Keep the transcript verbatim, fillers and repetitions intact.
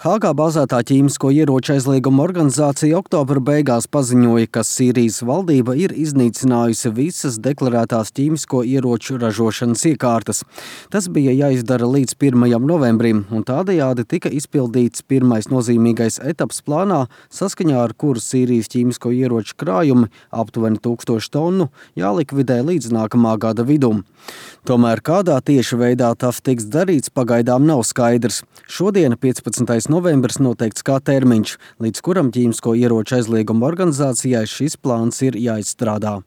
Hāgā bāzētā ķīmisko ieroču aizlieguma organizācija oktobra beigās paziņoja, ka Sīrijas valdība ir iznīcinājusi visas deklarētās ķīmisko ieroču ražošanas iekārtas. Tas bija jāizdara līdz pirmajam novembrim, un tādējādi tika izpildīts pirmais nozīmīgais etaps plānā, saskaņā ar kuru Sīrijas ķīmisko ieroču krājumi, aptuveni tūkstoši tonu, jālikvidē līdz nākamā gada vidum. Tomēr kādā tieši veidā tas tiks darīts, pagaidām nav skaidrs. Šodien, piecpadsmitais novembris, noteikts kā termiņš, līdz kuram ķīmisko ieroču aizlieguma organizācijai šis plāns ir jāizstrādā.